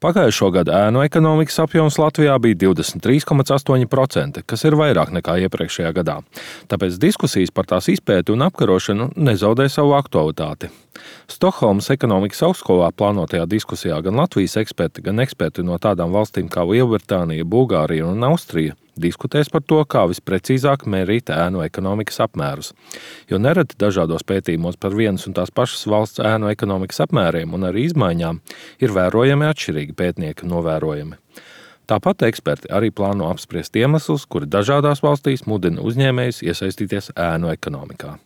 Pagājušo gadu ēnu ekonomikas apjoms Latvijā bija 23,8%, kas ir vairāk nekā iepriekšējā gadā. Tāpēc diskusijas par tās izpēti un apkarošanu nezaudē savu aktualitāti. Stokholmas ekonomikas augstskolā plānotajā diskusijā gan Latvijas eksperti, gan eksperti no tādām valstīm kā Lielbritānija, Bulgārija un Austrija diskutēs par to, kā visprecīzāk mērīt ēnu ekonomikas apmērus. Jo nereti dažādos pētījumos par vienas un tās pašas valsts ēnu ekonomikas apmēriem un arī izmaiņām ir vērojami atšķirīgi pētnieka novērojumi. Tāpat eksperti arī plāno apspriest iemeslus, kuri dažādās valstīs mudina uzņēmējus iesaistīties ēnu ekonomikā.